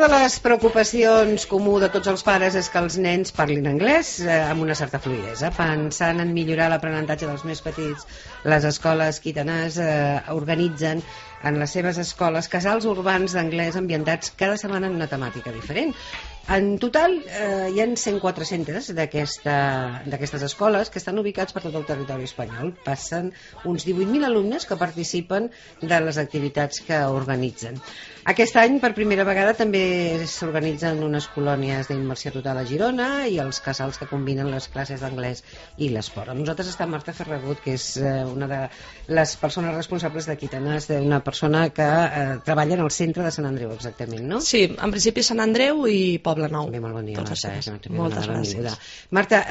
de les preocupacions comú de tots els pares és que els nens parlin anglès amb una certa fluïdesa. Pensant en millorar l'aprenentatge dels més petits, les escoles quitanes organitzen en les seves escoles casals urbans d'anglès ambientats cada setmana en una temàtica diferent. En total hi ha 104 centres d'aquestes escoles que estan ubicats per tot el territori espanyol. Passen uns 18.000 alumnes que participen de les activitats que organitzen. Aquest any, per primera vegada, també s'organitzen unes colònies d'immersió total a Girona i els casals que combinen les classes d'anglès i l'esport. Amb nosaltres està Marta Ferragut, que és una de les persones responsables de Quitanes, una persona que treballa en el centre de Sant Andreu, exactament, no? Sí, en principi Sant Andreu i Poblenou. Bé, molt bon dia, Marta. Moltes gràcies. Marta,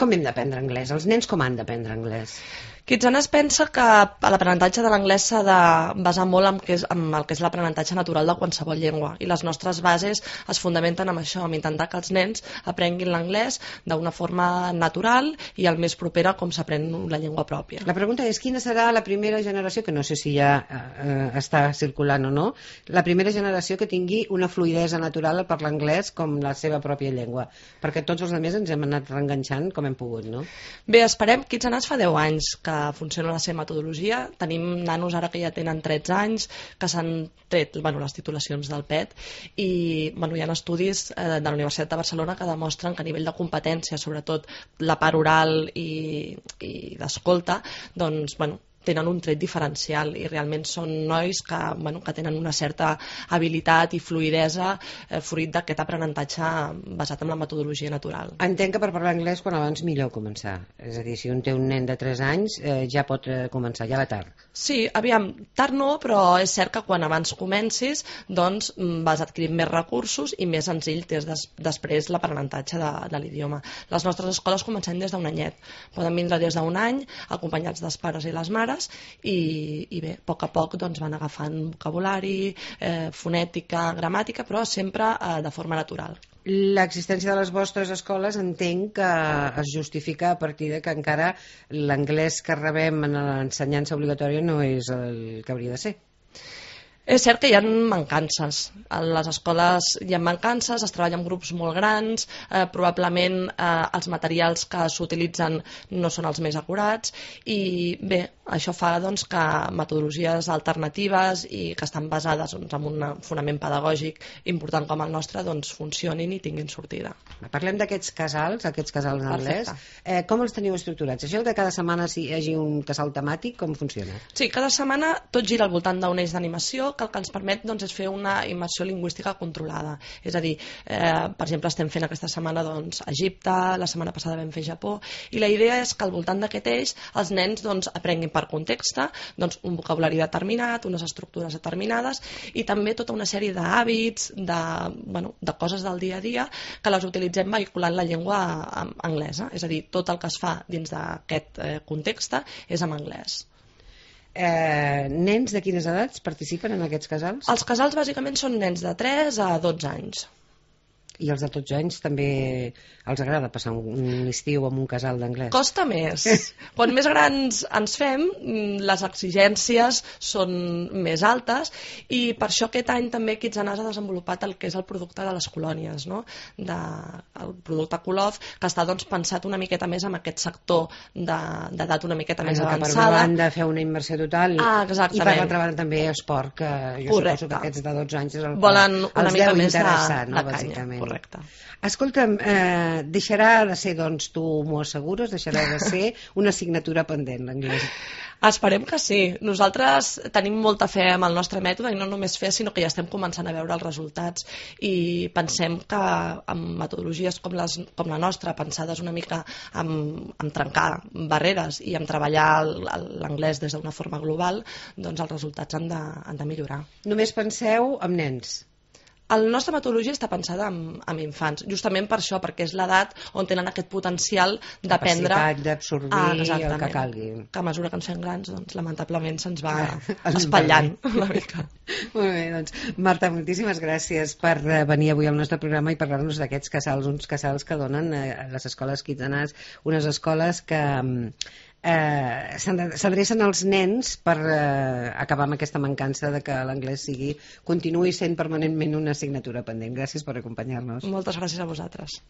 com hem d'aprendre anglès? Els nens com han d'aprendre anglès? Kitsanes pensa que l'aprenentatge de l'anglès s'ha de basar molt en el que és l'aprenentatge natural de qualsevol llengua, i les nostres bases es fundamenten en això, en intentar que els nens aprenguin l'anglès d'una forma natural i el més propera com s'aprèn la llengua pròpia. La pregunta és quina serà la primera generació, que no sé si ja està circulant o no, la primera generació que tingui una fluïdesa natural a parlar anglès com la seva pròpia llengua, perquè tots els altres ens hem anat reenganxant com hem pogut, no? Bé, esperem. Kitsanes fa 10 anys que funciona la seva metodologia. Tenim nanos ara que ja tenen 13 anys, que s'han tret les titulacions del PET, i hi ha estudis de la Universitat de Barcelona que demostren que a nivell de competència, sobretot la part oral i d'escolta, doncs, tenen un tret diferencial, i realment són nois que tenen una certa habilitat i fluïdesa fruit d'aquest aprenentatge basat en la metodologia natural. Entenc que per parlar anglès quan abans millor començar, és a dir, si un té un nen de 3 anys ja pot començar, ja va tard. Sí, aviam, tard no, però és cert que quan abans comencis doncs vas adquirint més recursos i més senzill és després l'aprenentatge de l'idioma. Les nostres escoles comencem des d'un anyet, poden vindre des d'un any acompanyats dels pares i les mares, i bé, a poc doncs van agafant vocabulari, fonètica, gramàtica, però sempre de forma natural. L'existència de les vostres escoles entenc que es justifica a partir de que encara l'anglès que rebem en l'ensenyança obligatòria no és el que hauria de ser. És cert que hi ha mancances. A les escoles hi ha mancances, es treballa en grups molt grans, probablement els materials que s'utilitzen no són els més acurats, i bé, això fa doncs, que metodologies alternatives i que estan basades en un fonament pedagògic important com el nostre doncs, funcionin i tinguin sortida. Parlem d'aquests casals d'anglès. Com els teniu estructurats? Això de cada setmana hi hagi un casal temàtic, com funciona? Sí, cada setmana tot gira al voltant d'un eix d'animació que el que ens permet doncs, és fer una immersió lingüística controlada. És a dir, per exemple, estem fent aquesta setmana doncs, Egipte, la setmana passada vam fer Japó, i la idea és que al voltant d'aquest eix els nens doncs, aprenguin per context doncs, un vocabulari determinat, unes estructures determinades, i també tota una sèrie d'hàbits, de coses del dia a dia que les utilitzem vehiculant la llengua anglesa. És a dir, tot el que es fa dins d'aquest context és en anglès. Nens de quines edats participen en aquests casals? Els casals bàsicament són nens de 3 a 12 anys. I els de 12 anys també els agrada passar un estiu amb un casal d'anglès? Costa més. Quan més grans ens fem, les exigències són més altes, i per això aquest any també Kitsanes ha desenvolupat el que és el producte de les colònies, no? El producte Colov, que està doncs, pensat una miqueta més en aquest sector d'edat una miqueta més avançada. Per una banda fer una immersió total i per l'altra banda també esport, que jo suposo que aquests de 12 anys és el que els deu interessar, no? Bàsicament. Correcte. Escolta'm, deixarà de ser, doncs, tu m'ho assegures, deixarà de ser una assignatura pendent, l'anglès? Esperem que sí. Nosaltres tenim molta fe en el nostre mètode, i no només fe, sinó que ja estem començant a veure els resultats, i pensem que amb metodologies com la nostra, pensades una mica en trencar barreres i en treballar l'anglès des d'una forma global, doncs els resultats han de millorar. Només penseu en nens? La nostra metodologia està pensada en infants, justament per això, perquè és l'edat on tenen aquest potencial d'aprendre, capacitat d'absorbir el que calgui. Que a mesura que ens fem grans, doncs, lamentablement se'ns va espatllant una mica. Molt bé, doncs, Marta, moltíssimes gràcies per venir avui al nostre programa i parlar-nos d'aquests casals, uns casals que donen a les escoles Kitsanes, unes escoles que s'adrecen als nens per acabar amb aquesta mancança de que l'anglès continuï sent permanentment una assignatura pendent. Gràcies per acompanyar-nos. Moltes gràcies a vosaltres.